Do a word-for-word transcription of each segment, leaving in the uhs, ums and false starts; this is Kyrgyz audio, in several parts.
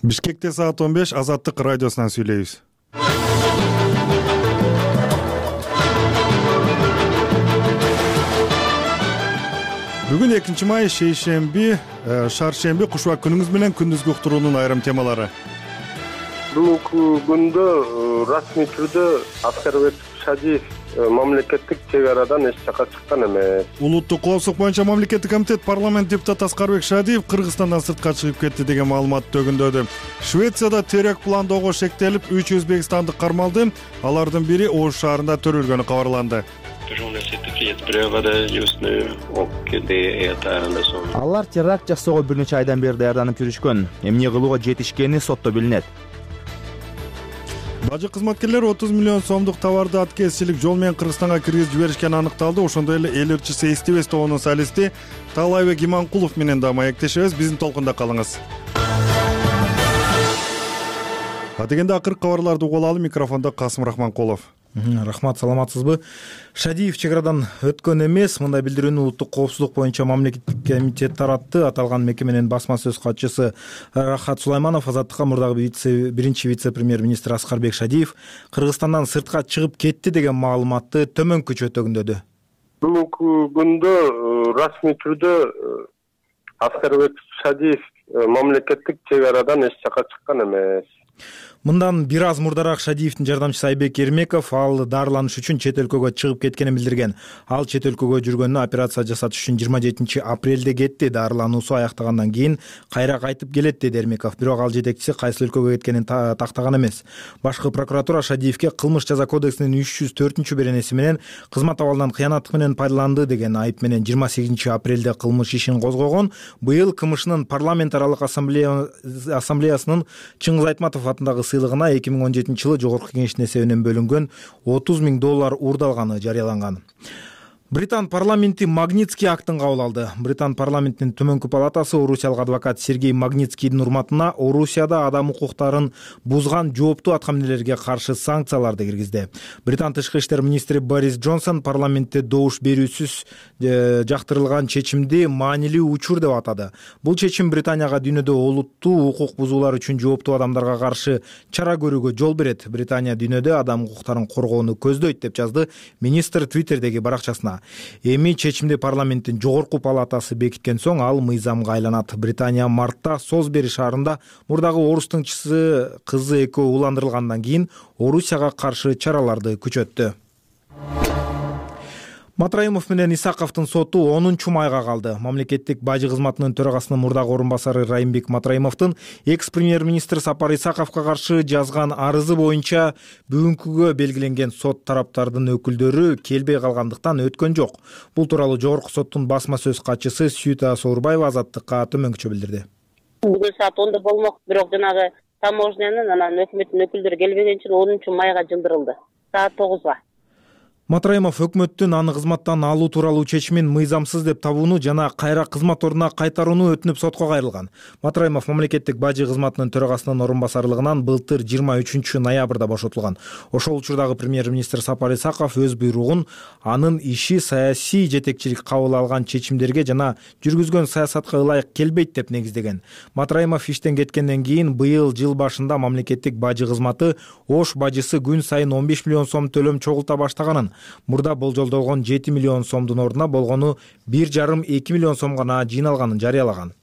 Бишкекте саат он беш Азаттык радиосунан сүйлөйбүз. Бүгүн экинчи май шейшемби, шаршемби кушубак күнүңүз менен күндүзгү уктуруунун айрым темалары. Бүгүнкү күндө расмий түрдө Аскарбек Шадиев мамлекеттик чек арадан эч жака чыккан эмес. Улуттук коопсуздук боюнча мамлекеттик комитет парламент депутаты Аскарбек Шадиев Кыргызстандан сыртка чыгып кетти деген маалымат төгүндөдү. Швецияда теракт пландоого шектелип, үч өзбекстандык кармалды. Алардын бири Ош шаарында төрөлгөнү кабарланды. Алар теракт жасоого бир нече айдан бери даярданып жүрүшкөн. Эмне кылууга жетишкени сотто билинет. Бажы кызматкерлери отуз миллион сомдук товарды аткезчилик жол менен Кыргызстанга киргизип жиберишкени аныкталды. Ошондой эле эл ырчысы Эстебес тобунун солисти Таалайбек Иманкулов менен да маектешебиз. Биздин толкунда калыңыз. Адегенде акыркы кабарларды угуп алалы. Микрофондо Касым Рахманкулов. Рахмат, саламатсызбы? Шадиев чек арадан өткөн эмес. Мындай билдирүүнү Улуттук коопсуздук боюнча мамлекеттик комитет таратты. Аталган мекеменин басма сөз катчысы Рахат Сулайманов Азаттыкка мурдагы вице биринчи вице-премьер-министр Аскарбек Шадиев Кыргызстандан сыртка чыгып кетти деген маалыматты төмөнкүчө төгүндөдү. Бүгүнкү күндө расмий түрдө Аскарбек Шадиев мамлекеттик чек арадан эч жака чыккан эмес. Мындан бир аз мурдараак Шадиевдин жардамчысы Айбек Эрмеков ал дарыланыш үчүн чет өлкөгө чыгып кеткенин билдирген. Ал чет өлкөгө жүргөнүнө операция жасатыш үчүн жыйырма жетинчи апрелде кетти. Дарылануусу аяктагандан кийин кайра кайтып келет деди Эрмеков. Бирок ал жетекчиси кайсы өлкөгө кеткенин тактаган эмес. Башкы прокуратура Шадиевге кылмыш жаза кодексинин үч жүз төртүнчү беренеси менен кызмат абалынан кыянаттык менен пайдаланды деген айып менен жыйырма сегизинчи апрелде кылмыш ишин козгогон. Быйыл КМШнын парламент аралык ассамблеясынын Чыңгыз Айтматов атындагы сыйлыгына эки миң он жетинчи жылы жогорку кеңештин эсебинен бөлүнгөн отуз миң доллар уурдалганы жарыяланган. Британ парламенти Магнитский актын кабыл алды. Британ парламентинин төмөнкү палатасы орусиялык адвокат Сергей Магнитскийдин урматына Орусияда адам укуктарын бузган жооптуу аткаминерлерге каршы санкцияларды киргизди. Британ тышкы иштер министри Борис Джонсон парламентте добуш берүүсүз жактырылган чечимди маанилүү учур деп атады. Бул чечим Британияга дүйнөдө олуттуу укук бузуулар үчүн жооптуу адамдарга каршы чара көрүүгө жол берет. Британия дүйнөдө адам укуктарын коргоону көздөйт деп жазды министр Твиттердеги баракчасына. Эми чечимди парламенттин жогорку палатасы бекиткен соң ал мыйзамга айланат. Британия мартта Солсбери шаарында мурдагы орус тыңчысы кызы экөө уландырылгандан кийин Орусияга каршы чараларды күчөттү. Матраимов менен Исаковдун соту онунчу майга калды. Мамлекеттик бажы кызматынын төрагасынын мурдагы орун басары Райымбек Матраимовдун экс-премьер-министр Сапар Исаковго каршы жазган арызы боюнча бүгүнкүгө белгиленген сот тараптардын өкүлдөрү келбей калгандыктан өткөн жок. Бул тууралуу жогорку соттун басма сөз катчысы Сүйүта Соорбаева Азаттыкка төмөнкүчө билдирди. Бүгүн саат онда болмок, бирок жанагы таможнянын анан өкмөттүн өкүлдөрү келбеген үчүн онунчу майга жылдырылды. Саат тогузга. Матраимов өкмөттүн аны кызматтан алуу тууралуу чечимин мыйзамсыз деп табууну жана кайра кызмат ордуна кайтарууну өтүнүп сотко кайрылган. Матраимов мамлекеттик бажы кызматынын төрагасынын орун басарлыгынан былтыр жыйырма үчүнчү ноябрда бошотулган. Ошол учурдагы премьер-министр Сапар Исаков өз буйругун анын иши саясий жетекчилик кабыл алган чечимдерге жана жүргүзгөн саясатка ылайык келбейт деп негиздеген. Матраимов иштен кеткенден кийин быйыл жыл башында мамлекеттик бажы кызматы Ош бажысы күн сайын он беш миллион сом төлөм чогулта баштаганын, мурда болжолдолгон жети миллион сомдун ордуна болгону бир жарым эки миллион сом гана жыйналганын жарыялаган.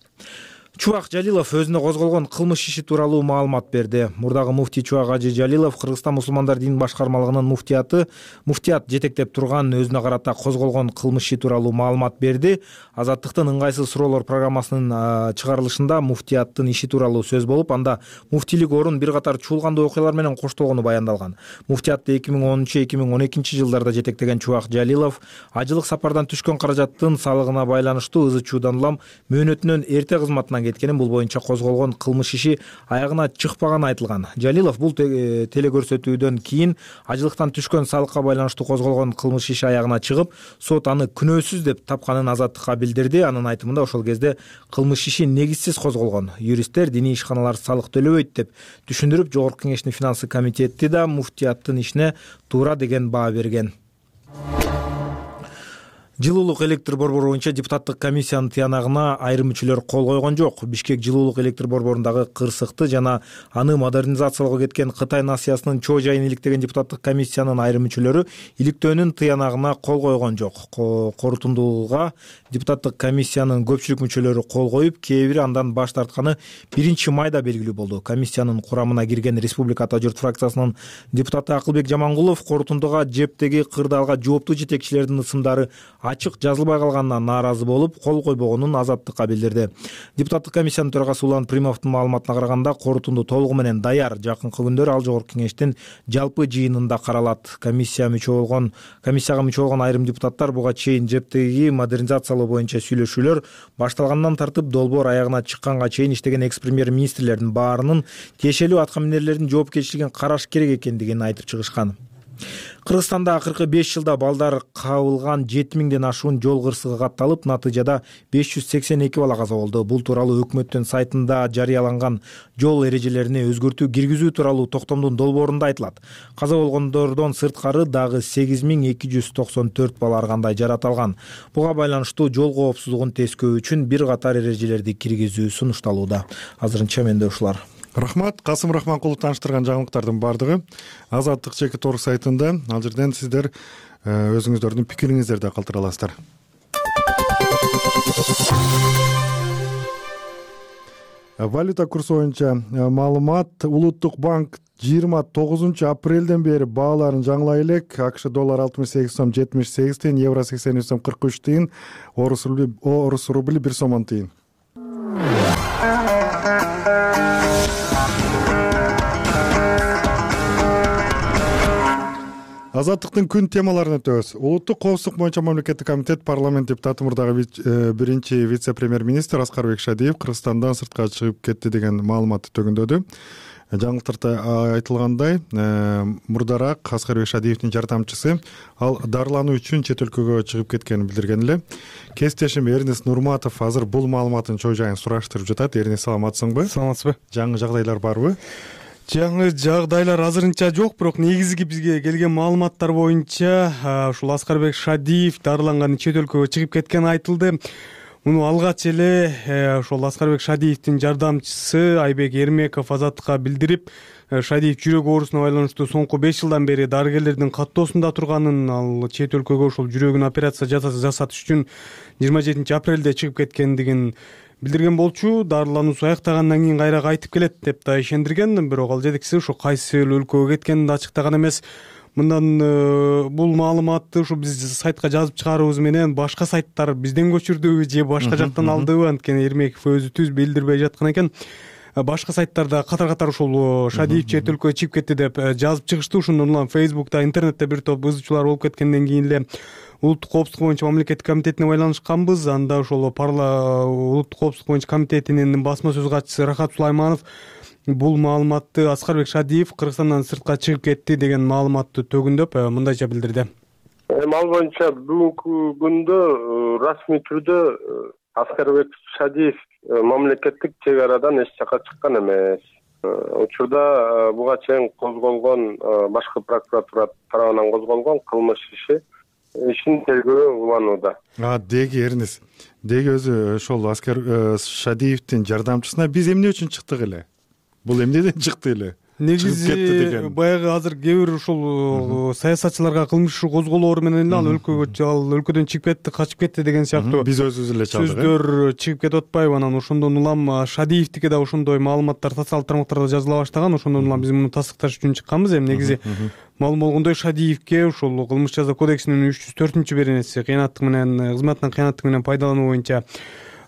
Чубак Жалилов өзүнө козголгон кылмыш иши тууралуу маалымат берди. Мурдагы муфтий Чубак Ажы Жалилов Кыргызстан мусулмандар дин башкармалыгынын муфтияты муфтият жетектеп турган өзүнө карата козголгон кылмыш иши тууралуу маалымат берди. Азаттыктын ыңгайсыз суроолор программасынын чыгарылышында муфтияттын иши тууралуу сөз болуп, анда муфтийлик орун бир катар чуулгандуу окуялар менен коштолгону баяндалган. Муфтиятты эки миң онунчу эки миң он экинчи жылдарда жетектеген Чубак Жалилов ажылык сапардан түшкөн каражаттын салыгына байланыштуу ызы чуудан улам мөөнөтүнөн эрте кызматынан кеткенин, бул боюнча козголгон кылмыш иши аягына чыкпаганы айтылган. Жалилов бул телекөрсөтүүдөн кийин ажылыктан түшкөн салыкка байланыштуу козголгон кылмыш иши аягына чыгып, сот аны күнөөсүз деп тапканын Азаттыкка билдирди. Анын айтымында ошол кезде кылмыш иши негизсиз козголгон. Юристтер диний ишканалар салык төлөбөйт деп түшүндүрүп, жогорку кеңештин финансы комитети да муфтияттын ишине туура деген баа берген. Жылуулук электр борбору боюнча депутаттык комиссиянын тыянагына айрым мүчөлөр кол койгон жок. Бишкек жылуулук электр борборундагы кырсыкты жана аны модернизациялоого кеткен Кытай насыясынын чоо жайын иликтеген депутаттык комиссиянын айрым мүчөлөрү иликтөөнүн тыянагына кол койгон жок. Корутундууга депутаттык комиссиянын көпчүлүк мүчөлөрү кол коюп, кээ бири андан баш тартканы биринчи майда белгилүү болду. Комиссиянын курамына кирген Республика Ата журт фракциясынын депутаты Акылбек Жамангулов корутундуга жептеги кырдаалга жооптуу жетекчилердин ысымдары ачык жазылбай калганына нааразы болуп, кол койбогонун Азаттыкка билдирди. Депутаттык комиссиянын төрагасы Улан Примовдун маалыматына караганда, корутунду толугу менен даяр. Жакынкы күндөр ал жогорку кеңештин жалпы жыйынында каралат. Комиссия мүчө болгон комиссияга мүчө болгон айрым депутаттар буга чейин жептеги модернизациялоо боюнча сүйлөшүүлөр башталгандан тартып долбоор аягына чыкканга чейин иштеген экс-премьер-министрлердин баарынын тиешелүү аткаминерлердин жоопкерчилигин караш керек экендигин айтып чыгышкан. Кыргызстанда акыркы беш жылда балдар кабылган жети миңден ашуун жол кырсыгы катталып, натыйжада беш жүз сексен эки бала каза болду. Бул тууралуу өкмөттүн сайтында жарыяланган жол эрежелерине өзгөртүү киргизүү тууралуу токтомдун долбоорунда айтылат. Каза болгондордон сырткары дагы сегиз миң эки жүз токсон төрт бала ар кандай жараталган. Буга байланыштуу жол коопсуздугун тескөө үчүн бир катар эрежелерди киргизүү сунушталууда. Азырынча менде ушулар. Рахмат. Касым Рахманкулов тааныштырган жаңылыктардын баардыгы Азаттык чекит орг сайтында. Ал жерден сиздер өзүңүздөрдүн пикириңиздерди калтыра аласыздар. Валюта курсу боюнча маалымат. Улуттук банк жыйырма тогузунчу апрелден бери бааларын жаңылай элек. АКШ доллар алтымыш сегиз сом жетимиш сегиз тыйын, евро сексен үч сом кырк үч тыйын, орус рубли орус рубли бир сом он тыйын. Азаттыктын күн темаларын өтөбүз. Улуттук коопсуздук боюнча мамлекеттик комитет парламент депутаты мурдагы биринчи вице-премьер-министр Аскарбек Шадиев Кыргызстандан сыртка чыгып кетти деген маалыматты төгүндөдү. Жаңылыктарда айтылгандай, мурдараак Аскарбек Шадиевдин жардамчысы ал дарылануу үчүн чет өлкөгө чыгып кеткенин билдирген эле. Кесиптешим Эрнест Нурматов азыр бул маалыматтын чоо жайын сураштырып жатат. Эрнест, саламатсыңбы? Саламатсызбы? Жаңы жагдайлар барбы? Жаңы жагдайлар азырынча жок, бирок негизги бизге келген маалыматтар боюнча ушул Аскарбек Шадиев дарыланган чет өлкөгө чыгып кеткени айтылды. Муну алгач эле ошол Аскарбек Шадиевдин жардамчысы Айбек Эрмеков Азаттыкка билдирип, Шадиев жүрөк оорусуна байланыштуу соңку беш жылдан бери дарыгерлердин каттоосунда турганын, ал чет өлкөгө ошол жүрөгүн операция жасатыш үчүн жыйырма жетинчи апрелде чыгып кеткендигин билдирген болчу. Дарылануусу аяктагандан кийин кайра кайтып келет деп да ишендирген, бирок ал жетекчиси ошо кайсы өлкөгө кеткенин да ачыктаган эмес. Мындан бул маалыматты ушу биз сайтка жазып чыгарыбыз менен башка сайттар бизден көчүрдүбү же башка жактан алдыбы, анткени Эрмеков өзү түз билдирбей жаткан экен. Башка сайттарда катар-катар ушул Шадиев чет өлкөгө чыгып кетти деп жазып чыгышты. Ошондон улам Фейсбукта, интернетте бир топ ызычуулар болуп кеткенден кийин эле Улуттук коопсуздук боюнча мамлекеттик комитетине байланышканбыз. Анда ошол Улуттук коопсуздук боюнча комитетинин басма сөз катчысы Рахат Сулайманов бул маалыматты Аскарбек Шадиев Кыргызстандан сыртка чыгып кетти деген маалыматты төгүндөп мындайча билдирди. Эми ал боюнча бүгүнкү күндө расмий түрдө Аскарбек Шадиев мамлекеттик чек арадан эч жакка чыккан эмес. Учурда буга чейин козголгон башкы прокуратура тарабынан козголгон кылмыш иши ишин тергөө уланууда. А деги Эрнес, деги өзү ошол Аскар Шадиевдин жардамчысына биз эмне үчүн чыктык эле? Бул эмнеден чыкты эле? Негизи баягы азыр кээ бир ушул саясатчыларга кылмыш иши козголоору менен эле ал өлкөгө ал өлкөдөн чыгып кетти, качып кетти деген сыяктуу биз өзүбүз эле чалдык. Сөздөр чыгып кетип атпайбы? Анан ошондон улам Шадиевдики да ошондой маалыматтар социалдык тармактарда жазыла баштаган. Ошондон улам биз муну тастыкташ үчүн чыкканбыз. Эми негизи маалым болгондой Шадиевке ушул кылмыш жаза кодексинин үч жүз төртүнчү беренеси кыянаттык менен кызматынан кыянаттык менен пайдалануу боюнча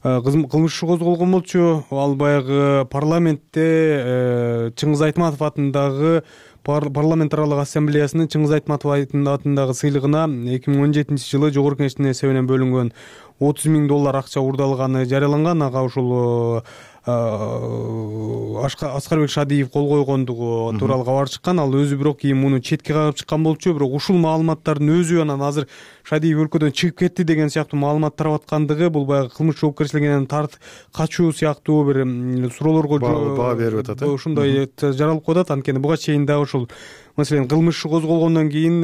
кылмыш иши козголгон болчу. Ал баягы парламентте Чыңгыз Айтматов атындагы парламент аралык ассамблеясынын Чыңгыз Айтматов атындагы сыйлыгына эки миң он жетинчи жылы жогорку кеңештин эсебинен бөлүнгөн отуз миң доллар акча уурдалганы жарыяланган. Ага ушул Аскарбек Шадиев кол койгондугу тууралуу кабар чыккан. Ал өзү бирок кийин муну четке кагып чыккан болчу. Бирок ушул маалыматтардын өзү анан азыр Шадиев өлкөдөн чыгып кетти деген сыяктуу маалымат тарап аткандыгы бул баягы кылмыш жоопкерчилигинен тарт качуу сыяктуу бир суроолорго баа берип атат. Ушундай жаралып коюп атат. Анткени буга чейин да ушул Маселен, кылмыш иши козголгондон кийин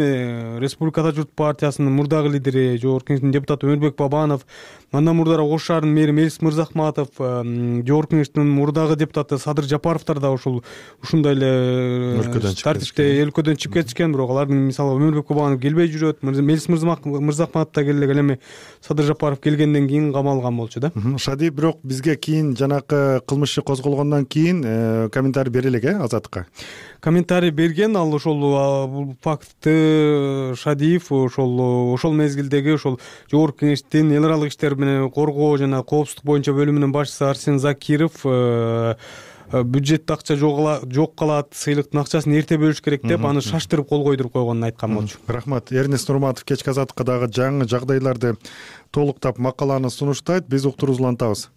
Республикада журт партиясынын мурдагы лидери Жогорку Кеңештин депутаты Өмүрбек Бабанов, андан мурдара Ош шаарынын мэри Мелис Мырзахматов, Жогорку Кеңештин мурдагы депутаты Садыр Жапаровдор да ушул ушундай эле тартипте өлкөдөн чыгып кетишкен. Бирок алардын мисалы Өмүрбек Бабанов келбей жүрөт. Мелис Мырзахматов да келе эми Садыр Жапаров келгенден кийин камалган болчу да. Шадиев бирок бизге кийин жанакы кылмыш иши козголгондон кийин комментарий бере элек, э, Азаттыкка. Комментарий берген, ал ошол бул фактты Шадиев ошол ошол мезгилдеги ошол Жогорку Кеңештин эл аралык иштер менен коргоо жана коопсуздук боюнча бөлүмүнүн башчысы Арсен Закиров бюджетте акча жок калат, сыйлыктын акчасын эрте бөлүш керек деп аны шаштырып кол койдуруп койгонун айткан болчу. Рахмат. Эрнест Нурматов кечки Азаттыкка дагы жаңы жагдайларды толуктап макаланы сунуштайт. Биз уктуруубузду улантабыз.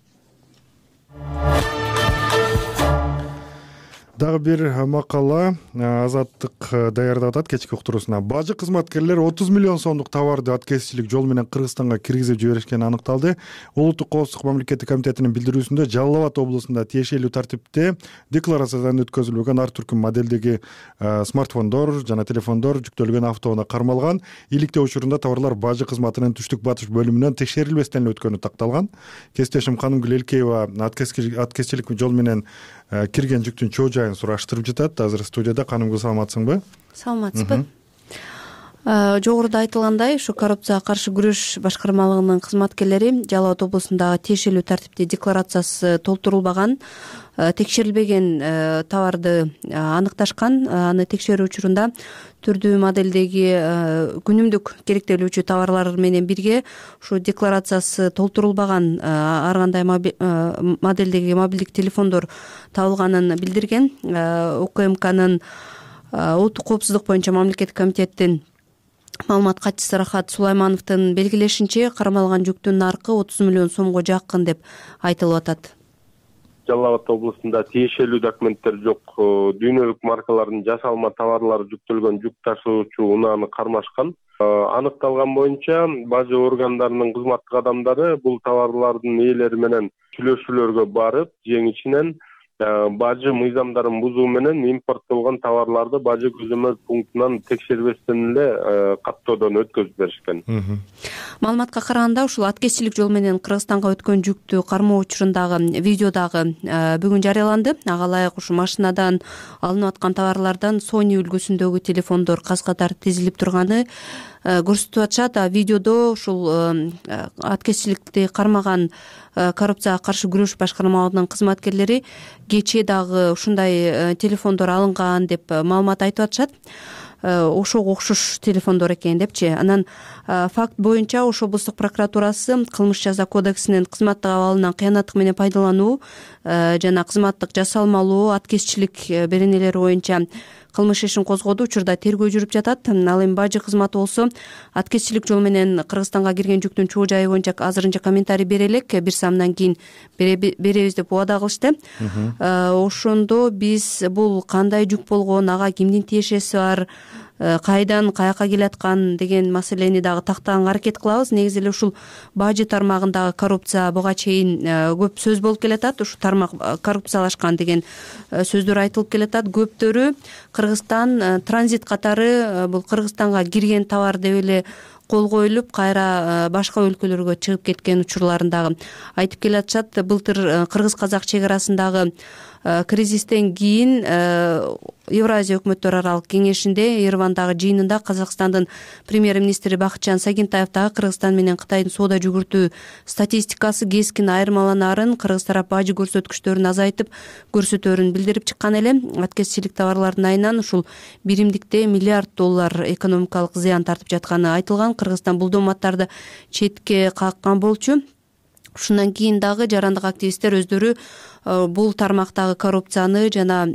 Дагы бир макала Азаттык даярдап атат кечки уктуруусуна. Бажы кызматкерлер отуз миллион сомдук товарды аткезчилик жол менен Кыргызстанга киргизип жиберишкени аныкталды. Улуттук коопсуздук мамлекеттик комитетинин билдирүүсүндө Жалал Абад облусунда тиешелүү тартипте декларациядан өткөзүлбөгөн ар түркүм модельдеги смартфондор жана телефондор жүктөлгөн автоунаа кармалган. Иликтөө учурунда товарлар бажы кызматынын түштүк батыш бөлүмүнөн текшерилбестен өткөнү такталган. Кесиптешим Канымгүл Элкеева аткезчилик жол менен кирген жүктүн чоо жайын сураштырып жатат. Азыр студияда. Канымгүл, саламатсыңбы? Саламатсызбы. Жогоруда айтылгандай, ушу коррупцияга каршы күрөш башкармалыгынын кызматкерлери Жалал Абад облусундагы тиешелүү тартипте декларациясы толтурулбаган, текшерилбеген товарды аныкташкан. Аны текшерүү учурунда түрдүү модельдеги күнүмдүк керектелүүчү товарлар менен бирге ушу декларациясы толтурулбаган ар кандай модельдеги мобилдик телефондор табылганын билдирген. УКМКнын улуттук коопсуздук боюнча мамлекеттик комитеттин маалымат катчысы Рахат Сулаймановдун белгилешинче, кармалган жүктүн наркы отуз миллион сомго жакын деп айтылып атат. Жалал Абад облусунда тиешелүү документтер жок, дүйнөлүк маркалардын жасалма товарлары жүктөлгөн жүк ташуучу унааны кармашкан. Аныкталган боюнча бажы органдарынын кызматтык адамдары бул товарлардын ээлери менен сүйлөшүүлөргө барып, жең ичинен бажы мыйзамдарын бузуу менен импорттолгон товарларды бажы көзөмөл пунктунан текшербестен эле каттоодон өткөзүп беришкен. Маалыматка караганда, ушул аткезчилик жол менен Кыргызстанга өткөн жүктү кармоо учурундагы видео дагы бүгүн жарыяланды. Ага ылайык ушу машинадан алынып аткан товарлардан Sony үлгүсүндөгү телефондор каз-катар тизилип турганы көрсөтүп атышат. Видеодо ушул аткезчиликти кармаган коррупцияга каршы күрөш башкармалыгынын кызматкерлери кечээ дагы ушундай телефондор алынган деп маалымат айтып атышат. Ошого окшош телефондор экен депчи. Анан факт боюнча Ош облустук прокуратурасы кылмыш жаза кодексинин кызматтык абалынан кыянаттык менен пайдалануу жана кызматтык жасалмалоо аткезчилик беренелери боюнча кылмыш ишин козгоду. Учурда тергөө жүрүп жатат. Ал эми бажы кызматы болсо аткезчилик жол менен Кыргызстанга кирген жүктүн чоо жайы боюнча азырынча комментарий бере элек. Бир самдан кийин беребиз деп убада кылышты. Ошондо биз бул кандай жүк болгон, ага кимдин тиешеси бар, кайдан каяка келаткан деген маселени дагы тактаганга аракет кылабыз. Негизи эле ушул бажы тармагындагы коррупция буга чейин көп сөз болуп келатат. Ушу тармак коррупциялашкан деген сөздөр айтылып келатат. Көптөрү Кыргызстан транзит катары бул Кыргызстанга кирген товар деп эле кол коюлуп, кайра башка өлкөлөргө чыгып кеткен учурларын дагы айтып келатышат. Былтыр кыргыз-казак чек арасындагы кризистен кийин Евразия өкмөттөр аралык кеңешинде Еревандагы жыйынында Казакстандын премьер-министри Бакытжан Сагинтаев дагы Кыргызстан менен Кытайдын соода жүгүртүү статистикасы кескин айырмаланаарын, Кыргыз тарап бажы көрсөткүчтөрүн азайтып көрсөтөөрүн билдирип чыккан эле. Аткезчилик товарлардын айынан ушул биримдикте миллиард доллар экономикалык зыян тартып жатканы айтылган. Кыргызстан бул дооматтарды четке каккан болчу. Ушундан кийин дагы жарандык активисттер өздөрү бул тармактагы коррупцияны жана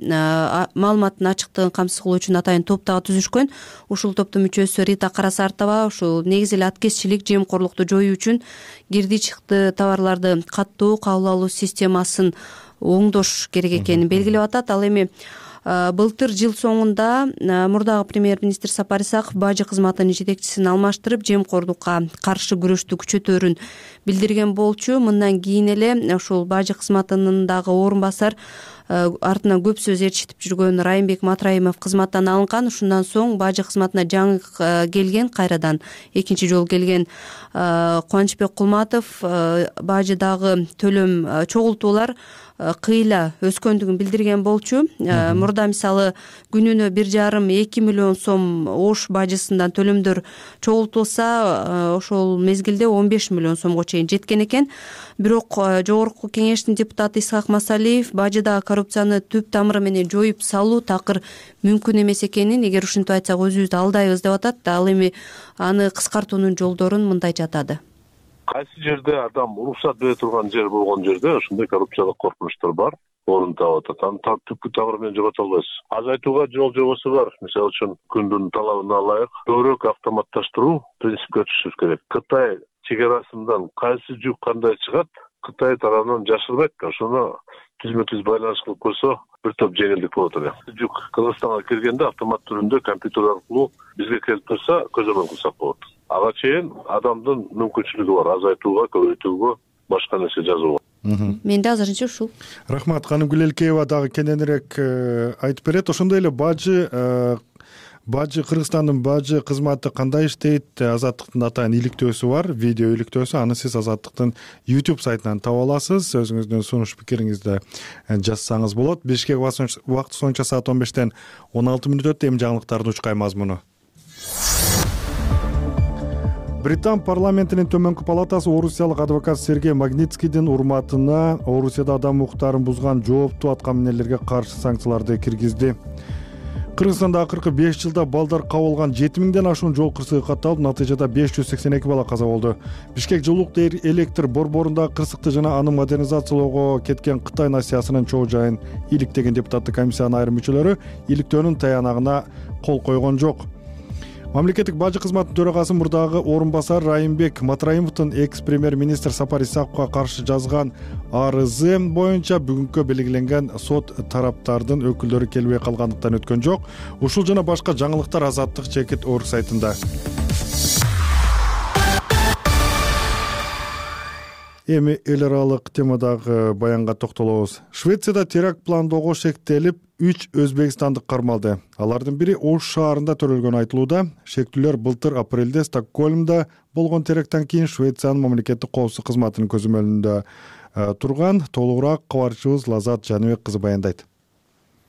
маалыматтын ачыктыгын камсыз кылуу үчүн атайын топ дагы түзүшкөн. Ушул топтун мүчөсү Рита Карасартова ушул негизи эле аткезчилик, жемкорлукту жоюу үчүн кирди чыкты товарларды каттоо, кабыл алуу системасын оңдош керек экенин белгилеп атат. Ал эми былтыр жыл соңунда мурдагы премьер-министр Сапар Исаков бажы кызматынын жетекчисин алмаштырып, жемкорлукка каршы күрөштү күчөтөөрүн билдирген болчу. Мындан кийин эле ушул бажы кызматынын дагы орун басар артынан көп сөз ээрчитип жүргөн Райымбек Матраимов кызматтан алынган. Ушундан соң бажы кызматына жаңы келген, кайрадан экинчи жолу келген Кубанычбек Кулматов бажыдагы төлөм чогултуулар кыйла өскөндүгүн билдирген болчу. Мурда мисалы күнүнө бир жарым эки миллион сом Ош бажысынан төлөмдөр чогултулса, ошол мезгилде он беш миллион сомго чейин жеткен экен. Бирок жогорку кеңештин депутаты Исхак Масалиев бажыдагы коррупцияны түп тамыры менен жоюп салуу такыр мүмкүн эмес экенин, эгер ушинтип айтсак өзүбүздү алдайбыз деп атат. Ал эми аны кыскартуунун жолдорун мындай жатады. Кайсы жерде адам уруксат бере турган жер болгон жерде ошондой коррупциялык коркунучтар бар, орун таап атат. Аны түпкү тамыры менен жогото албайсыз. Азайтууга жол жобосу бар. Мисалы үчүн күндүн талабына ылайык көбүрөөк автоматташтыруу принципке түшүш керек. Кытай чегарасынан кайсы жүк кандай чыгат, Кытай тарабынан жашырбайт. Ошону түзмө-түз байланыш кылып койсо, бир топ жеңилдик болот эле. Жүк Кыргызстанга киргенде автомат түрүндө компьютер аркылуу бизге келип турса, көзөмөл кылсак болот. Ага чейин адамдын мүмкүнчүлүгү бар азайтууга, көбөйтүүгө, башка нерсе жазууга. Менде азырынча ушул. Рахмат. Канымгүл Элкеева дагы кененирээк айтып берет. Ошондой эле бажы бажы Кыргызстандын бажы кызматы кандай иштейт? Азаттыктын атайын иликтөөсү бар, видео иликтөөсү. Аны сиз Азаттыктын YouTube сайтынан таба аласыз. Өзүңүздүн сунуш пикириңизди жазсаңыз болот. Бишкек убакыт боюнча саат он бештен он алты мүнөт өттү. Эми жаңылыктардын учкай мазмуну. Британ парламентинин төмөнкү палатасы орусиялык адвокат Сергей Магнитскийдин урматына Орусияда адам укуктарын бузган жооптуу аткаминерлерге каршы санкцияларды киргизди. Кыргызстанда акыркы беш жылда балдар кабылган жети миңден ашуун жол кырсыгы катталып, натыйжада беш жүз сексен эки бала каза болду. Бишкек жылуулук электр борборундагы кырсыкты жана аны модернизациялоого кеткен Кытай насыясынын чоо жайын иликтеген депутаттык комиссиянын айрым мүчөлөрү иликтөөнүн таянагына кол койгон жок. Мамлекеттик бажы кызматынын төрагасы мурдагы орун басар Райымбек Матраимовдун экс-премьер-министр Сапар Исаковго каршы жазган арызы боюнча бүгүнкү белгиленген сот тараптардын өкүлдөрү келбей калгандыктан өткөн жок. Ушул жана башка жаңылыктар Азаттык чекит орг сайтында. Эми эл аралык темадагы баянга токтолобуз. Швецияда теракт пландоого шектелип, үч өзбекстандык кармалды. Алардын бири Ош шаарында төрөлгөнү айтылууда. Шектүүлөр былтыр апрелде Стокгольмда болгон теракттан кийин Швециянын мамлекеттик коопсуздук кызматынын көзөмөлүндө турган. Толугураак кабарчыбыз Лазат Жаныбек кызы баяндайт.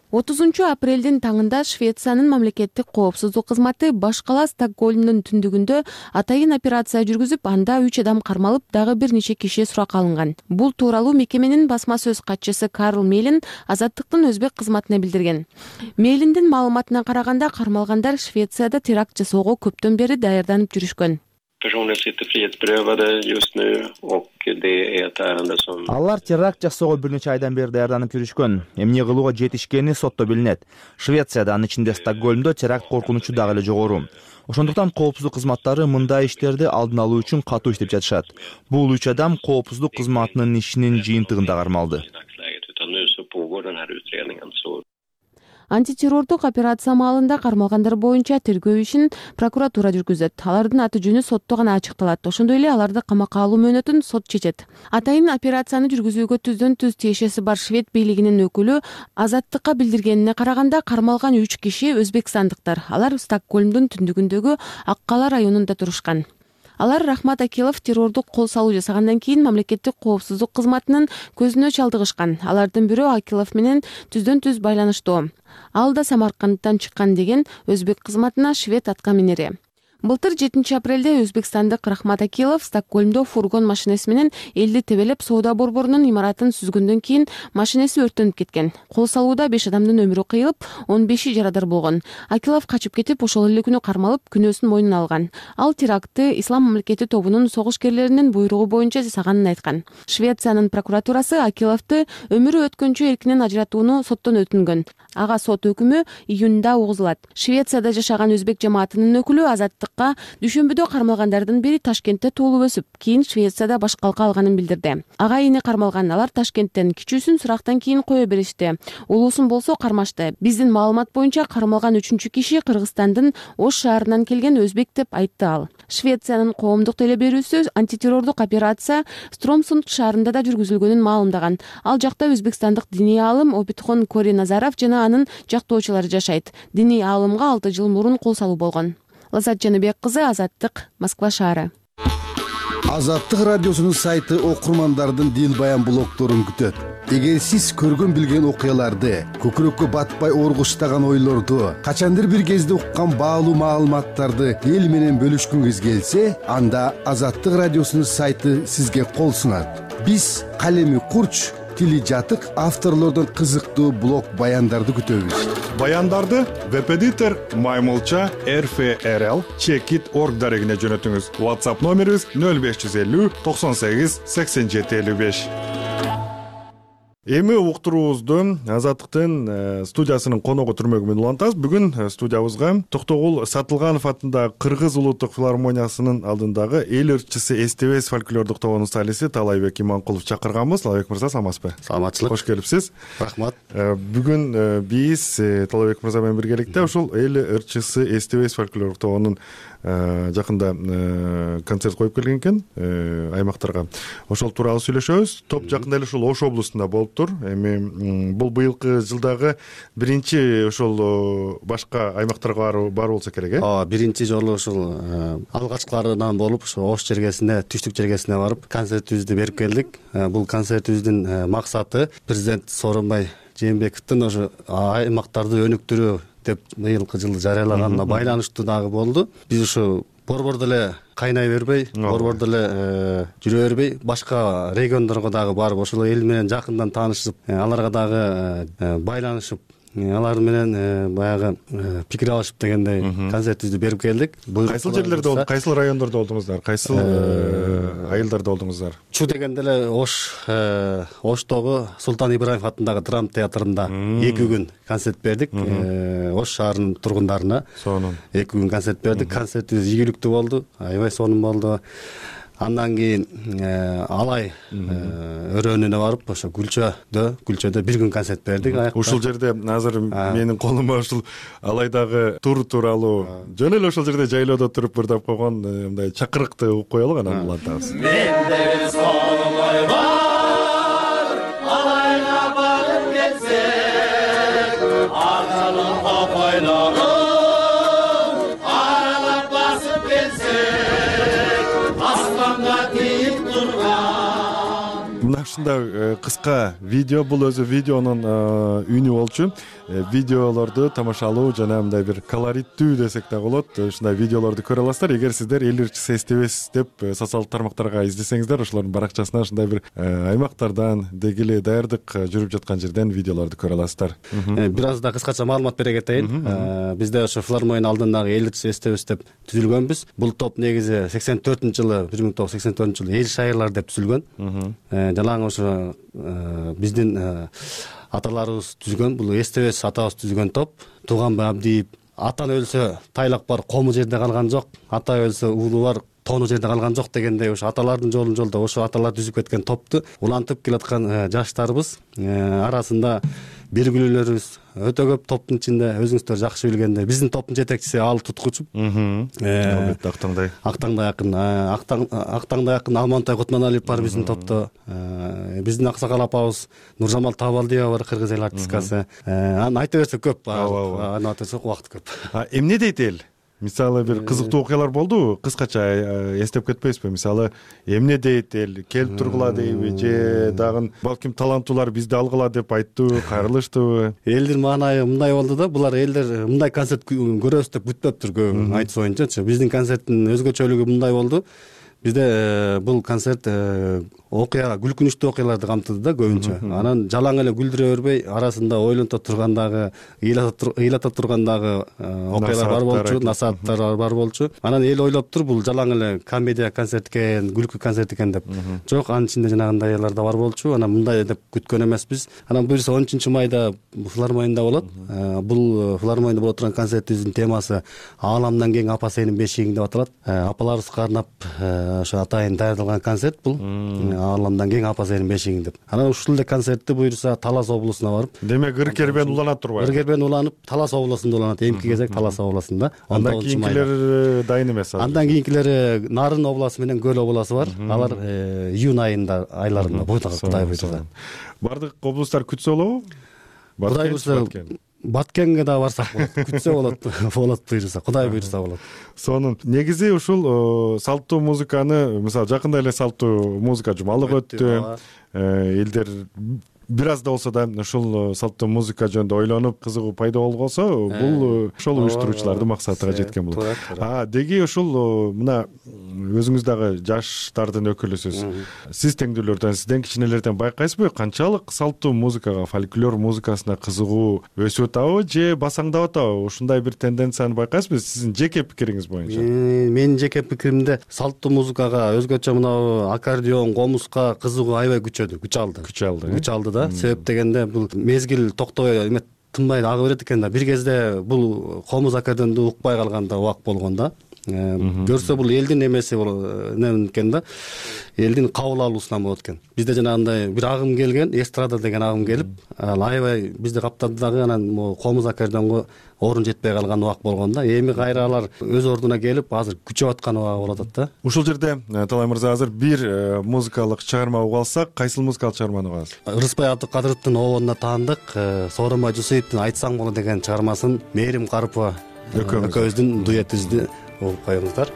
отузунчу апрелдин таңында Швециянын мамлекеттик коопсуздук кызматы баш кала Стокгольмдун түндүгүндө атайын операция жүргүзүп, анда үч адам кармалып, дагы бир нече киши суракка алынган. Бул тууралуу мекеменин басма сөз катчысы Карл Мейлин Азаттыктын өзбек кызматына билдирген. Мейлиндин маалыматына караганда, кармалгандар Швецияда теракт жасоого көптөн бери даярданып жүрүшкөн. Алар теракт жасоого бир нече айдан бери даярданып жүрүшкөн. Эмне кылууга жетишкени сотто билинет. Швецияда, анын ичинде Стокгольмдо теракт коркунучу дагы эле жогору. Ошондуктан коопсуздук кызматтары мындай иштерди алдын алуу үчүн катуу иштеп жатышат. Бул үч адам коопсуздук кызматынын ишинин жыйынтыгында кармалды. Антитеррордук операция маалында кармалгандар боюнча тергөө ишин прокуратура жүргүзөт. Алардын аты жөнү сотто гана ачыкталат. Ошондой эле аларды камакка алуу мөөнөтүн сот чечет. Атайын операцияны жүргүзүүгө түздөн түз тиешеси бар швед бийлигинин өкүлү Азаттыкка билдиргенине караганда, кармалган үч киши өзбекстандыктар. Алар Стокгольмдун түндүгүндөгү Ак Кала районунда турушкан. Алар Рахмат Акилов террордук кол салуу жасагандан кийин мамлекеттик коопсуздук кызматынын көзүнө чалдыгышкан. Алардын бирөө Акилов менен түздөн түз байланыштуу. Ал да Самаркандтан чыккан деген өзбек кызматына швед аткаминери. Былтыр жетинчи апрелде өзбекстандык Рахмат Акилов Стокгольмдо фургон машинеси менен элди тебелеп соода борборунун имаратын сүзгөндөн кийин машинеси өрттөнүп кеткен. Кол салууда беш адамдын өмүрү кыйылып, он беши жарадар болгон. Акилов качып кетип, ошол эле күнү кармалып, күнөөсүн мойнуна алган. Ал терактты Ислам мамлекети тобунун согушкерлеринин буйругу боюнча жасаганын айткан. Швециянын прокуратурасы Акиловду өмүрү өткөнчө эркинен ажыратууну соттон өтүнгөн. Ага сот өкүмү июнда угузулат. Швецияда жашаган өзбек жамаатынын өкүлү Азаттык маалыматка дүйшөмбүдө кармалгандардын бири Ташкентте туулуп өсүп, кийин Швецияда башкалка алганын билдирди. Ага эне кармалган, алар Ташкенттен кичүүсүн сурактан кийин кое беришти. Улуусун болсо кармашты. Биздин маалымат боюнча кармалган үчүнчү киши Кыргызстандын Ош шаарынан келген өзбек деп айтты ал. Швециянын коомдук теле берүүсү антитеррордук операция Стромсунд шаарында да жүргүзүлгөнүн маалымдаган. Ал жакта өзбекстандык диний аалым Обидхон Кори Назаров жана анын жактоочулары жашайт. Диний аалымга алты жыл мурун кол салуу болгон. Лазат Жаныбек кызы, Азаттык, Москва шаары. Азаттык радиосунун сайты окурмандардын дил баян блогдорун күтөт. Эгер сиз көргөн билген окуяларды, көкүрөккө батпай оргуштаган ойлорду, качандыр бир кезде уккан баалуу маалыматтарды эл менен бөлүшкүңүз келсе, анда Азаттык радиосунун сайты сизге кол сунат. Биз калеми курч, тили жатык авторлордон кызыктуу блог баяндарды күтөбүз. Баяндарды веб-эдитор Маймылча эр эф эр эл чекит точка орг дарегине жөнөтүңүз. WhatsApp номерибиз нөл беш жүз элүү токсон сегиз сексен жети элүү беш. Эми уктуруубузду Азаттыктын студиясынын коногу түрмөгү менен улантабыз. Бүгүн студиябызга Токтогул Сатылганов атындагы Кыргыз улуттук филармониясынын алдындагы эл ырчысы эстебес фольклордук тобунун солисти Талайбек Иманкулов чакырганбыз. Талайбек мырза, саламатсызбы? Саламатчылык. Кош келипсиз. Рахмат. Бүгүн биз Талайбек мырза менен биргеликте ушул эл ырчысы эстебес фольклордук тобунун жакында концерт коюп келген экен аймактарга. Ошол тууралуу сүйлөшөбүз. Топ жакында эле ушул Ош облусунда болуптур. Эми бул быйылкы жылдагы биринчи ошол башка аймактарга баруу болсо керек, э? Ооба, биринчи жолу ушул алгачкыларынан болуп, ошо Ош жергесине, түштүк жергесине барып концертибизди берип келдик. Бул концертибиздин максаты президент Сооронбай Жээнбековдун ошо аймактарды өнүктүрүү деп быйылкы жылы жарыялаганына байланыштуу дагы болду. Биз ушу борбордо эле кайнай бербей, борбордо эле жүрө бербей, башка региондорго дагы барып, ошол эл менен жакындан таанышып, аларга дагы байланышып, алар менен баягы пикир алышып дегендей концертибизди берип келдик. Кайсыл жерлерде болду? Кайсыл райондордо болдуңуздар? Кайсыл айылдарда болдуңуздар? Чу дегенде эле Ош Оштогу Султан Ибраев атындагы драма театрында эки күн концерт бердик. Ош шаарынын тургундарына сонун эки күн концерт бердик. Концертибиз ийгиликтүү болду, аябай сонун болду. Андан кийин Алай өрөөнүнө барып, ошо Күлчөдө, Күлчөдө бир күн концерт бердик. Ушул жерде азыр менин колума ушул Алайдагы тур тууралуу жөн эле ошол жерде жайлоодо туруп бир тап койгон мындай чакырыкты угуп коелук, анан улантабыз. Менде солой бар, Алайга барып келсек, аралап капайлап мына ушундай кыска видео, бул өзү видеонун үнү болчу. Видеолорду тамашалоо жана мындай бир колориттүү десек да болот. Ушундай видеолорду көрө аласыздар. Эгер сиздер эл ырчысы эстебес деп социалдык тармактарга издесеңиздер, ошолордун баракчасына ушундай бир аймактардан деги эле даярдык жүрүп жаткан жерден видеолорду көрө аласыздар. Бир аз да кыскача маалымат бере кетейин. Бизде ошо филармониянын алдындагы эл ырчысы эстебес деп түзүлгөнбүз. Бул топ негизи сексен төртүнчү жылы, бир миң тогуз жүз сексен төртүнчү жылы эл шайырлар деп түзүлгөн. Жалаң ошо биздин аталарыбыз түзгөн, бул эстебес атабыз түзгөн топ. Тууганбай Абдиев атан өлсө тайлак бар, кому жерде калган жок, ата өлсө уулу бар, тону жерде калган жок дегендей ошо аталардын жолун жолдо ошо аталар түзүп кеткен топту улантып келаткан жаштарыбыз арасында белгилүүлөрүбүз өтө көп. Топтун ичинде өзүңүздөр жакшы билгендей биздин топтун жетекчиси Ал Туткучу. Албетте Актаңдай. Актаңдай акын, Актаңдай акын Алмантай Кутманалиев бар биздин топто. Биздин аксакал апабыз Нуржамал Табалдиева бар, кыргыз эл артисткасы. Аны айта берсек көп, аны айта берсек убакыт көп. Эмне дейт эл? Мисалы бир кызыктуу окуялар болдубу? Кыскача эстеп кетпейсизби? Мисалы эмне дейт эл? Келип тургула дейби же дагы балким таланттуулар бизди алгыла деп айттыбы, кайрылыштыбы? Элдин маанайы мындай болду да, булар элдер мындай концерт көрөбүз деп күтпөптүр көбү айтыш боюнчачы. Биздин концерттин өзгөчөлүгү мындай болду. Бизде бул концерт окуя күлкүнүчтүү окуяларды камтыды да көбүнчө. Анан жалаң эле күлдүрө бербей, арасында ойлонто тургандагы, ыйлата тургандагы окуялар бар болчу, насааттар бар болчу. Анан эл ойлоп тур, бул жалаң эле комедия концерт экен, күлкү концерт экен деп. Жок, анын ичинде жанагындайлар да бар болчу. Анан мындай деп күткөн эмеспиз. Анан буюрса он үчүнчү майда филармонияда болот. Бул филармонияда боло турган концертибиздин темасы Ааламдан кең апа сенин бешигиң деп аталат. Апаларыбызга арнап ошо атайын даярдалган концерт бул. Ааламдан кең апа сенин бешигиң деп. Анан ушул эле концертти буюрса Талас облусуна барып. Демек Ыркербен уланат турбайбы? Ыркербен уланып, Талас облусунда уланат. Эмки кезек Талас облусунда. Андан кийинкилери дайын эмес азыр. Андан кийинкилери Нарын областы менен Көл областы бар. Алар июнь айында айларында бойдога Кудай буйрса. Бардык облустар күтсө болобу? Кудай буйрса Баткенге да барсак болот. Күтсө болот, болот буйрса, Кудай буйрса болот. Сонун негизи ушул салттуу музыканы, мисалы жакында эле салттуу музыка жумалык өттү. Элдер бир аз да болсо да ушул салттуу музыка жөнүндө ойлонуп, кызыгуу пайда болгосо, бул ошол уюштуруучулардын максатыга жеткен болот. А деги ушул мына өзүңүз дагы жаштардын өкүлүсүз. Сиз теңдүүлөрдөн, сизден кичинелерден байкайсызбы, канчалык салттуу музыкага, фольклор музыкасына кызыгуу өсүп атабы же басаңдап атабы? Ушундай бир тенденцияны байкайсызбы сиздин жеке пикириңиз боюнча? Менин жеке пикиримде салттуу музыкага өзгөчө мына аккордеон, комуска кызыгуу аябай күчөдү, күч алды. Күч алды. Күч алды да. Себеп дегенде бул мезгил токтобой эме тынбай ага берет экен да. Бир кезде бул комуз аккордеонду укпай калганда убак болгон да. Көрсө бул элдин эмеси болот экен да. Элдин кабыл алуусунан болот экен. Бизде жанагындай бир агым келген, эстрада деген агым келип, аябай бизди каптады дагы. Анан могу комуз аккордеонго орун жетпей калган убак болгон да. Эми кайра алар өз ордуна келип, азыр күчөп аткан убагы болуп атат да. Ушул жерде Талай мырза, азыр бир музыкалык чыгарма угуп алсак, кайсыл музыкалык чыгарманы угабыз? Рыспай Абдыкадыровдун обондуна таандык Сооронбай Жусуевдин Айтсаң болот деген чыгармасын Мээрим Карыпова экөөбүздүн дуэтибизди угуп коюңуздар.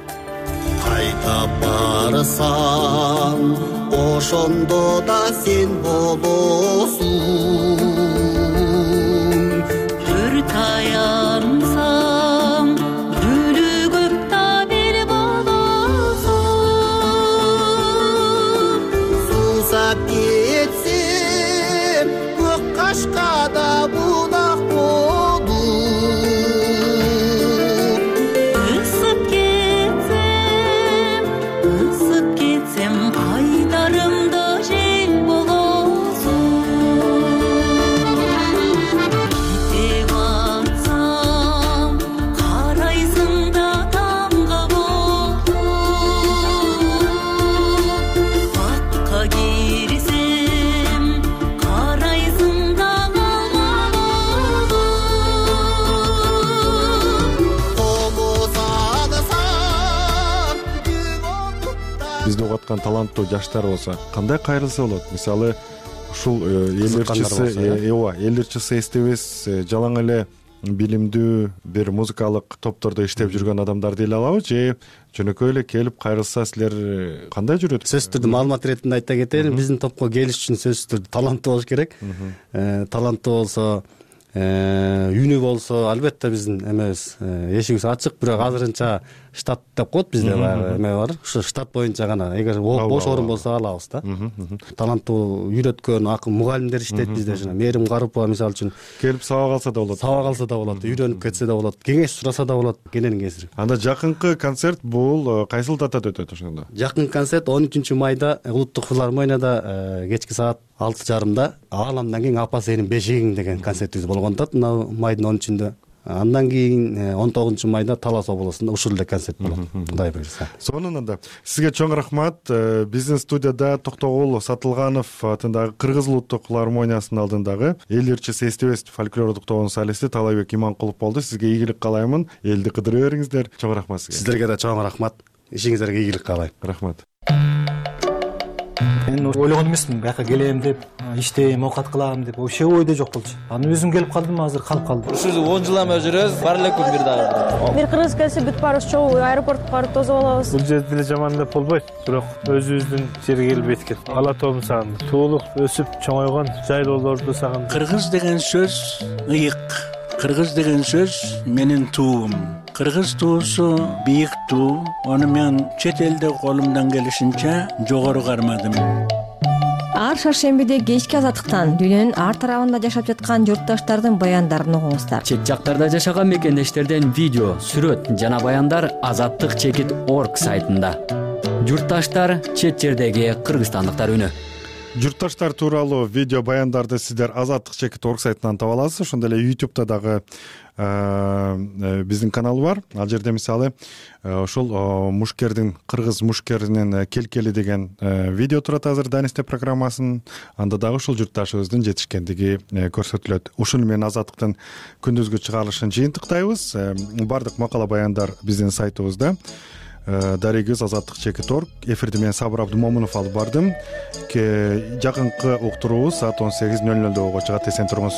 Кайта барсаң, ошондо да сен болосуң. Бир таянсаң, бүлүгүп да бир болосуң. Сусап кетсем, көк кашкада будак болуп. Ысып кетсем, ысып кетсем, кайдарымда жел болосуң. Кете батсам, карайсың да тамга болуп. Бакка кирсем, карайсың да калма болуп. Комуз агысам, Бизди угуп аткан таланттуу жаштар болсо кандай кайрылса болот? Мисалы ушул эл ырчысы, ооба, эл ырчысы эстебес, жалаң эле билимдүү бир музыкалык топтордо иштеп жүргөн адамдар деле алабы же жөнөкөй эле келип кайрылса силер кандай жүрөт? Сөзсүз түрдө маалымат иретинде айта кетейин, биздин топко келиш үчүн сөзсүз түрдө таланттуу болуш керек. Таланттуу болсо, үнү болсо, албетте биздин эмебиз, эшигибиз ачык, бирок азырынча штат деп коет бизде баягы эме бар. Ушу штат боюнча гана, эгер бош орун болсо алабыз да. Таланттуу үйрөткөн акын мугалимдер иштейт бизде, жана Мээрим Карыпова мисалы үчүн Келип сабак алса да болот. Сабак алса да болот, үйрөнүп кетсе да болот, кеңеш сураса да болот, кененин кесири. Анда жакынкы концерт бул кайсыл датада өтөт ошондо? Жакын концерт он үчүнчү майда Улуттук филармонияда кечки саат алты жарымда Ааламдан кең апа сенин бешигиң деген концертибиз болгон да, мына майдын он үчүндө. Андан кийин он тогузунчу майда Талас облусунда ушул эле концерт болот, Кудай буйрса. Сонун анда. Сизге чоң рахмат. Биздин студияда Токтогул Сатылганов атындагы Кыргыз Улуттук филармониясынын алдындагы эл ырчысы эстебес фольклордук тобунун солисти Талайбек Иманкулов болду. Сизге ийгилик каалаймын. Элди кыдыры бериңиздер. Чоң рахмат сизге. Сиздерге да чоң рахмат. Ишиңиздерге ийгилик каалайм. Рахмат. Мен ойлогон эмесмин, бияка келем деп, иштейм, оокат кылам деп, вообще ойдо жок болчу. Анан өзүм келип калдым, азыр калып калдым. Ушул он жыл эме жүрөбүз, бар эле күн бир дагы. Бир кыргыз келсе бүт баарыбыз чогуу аэропортко барып тосуп алабыз. Бул жерде деле жаман деп болбойт, бирок өзүбүздүн жерге келип эткен. Ала тобун сагындым. Туулуп, өсүп, чоңойгон жайлоолорду сагындым. Кыргыз деген сөз ыйык. Кыргыз деген сөз менин туум. Кыргыз туусу бийик туу. Аны мен чет элде колумдан келишинче жогору кармадым. ар шаршембиде кечки азаттыктан дүйнөнүн ар тарабында жашап жаткан журтташтардын баяндарын угуңуздар. Чет жактарда жашаган мекендештерден видео, сүрөт жана баяндар азаттык чекит орг сайтында. Журтташтар, чет жердеги кыргызстандыктар үнү. Журтташтар тууралуу видео баяндарды сиздер азаттык чекит орг сайтынан таба аласыз. Ошондой эле ютубта дагы биздин канал бар. Ал жерде мисалы ошол мушкердин, кыргыз мушкеринин келкели деген видео турат азыр Данисте программасынын. Анда дагы ушул журтташыбыздын жетишкендиги көрсөтүлөт. Ушуну менен азаттыктын күндүзгү чыгарылышын жыйынтыктайбыз. Бардык макала баяндар биздин сайтыбызда. Дарегиз азаттык чекит орг. Эфирди мен Сабыр Абдумомунов алып бардым. Жакынкы уктуруубуз саат он сегиз нөл нөлдө болго чыгат. Эсен туруңуз.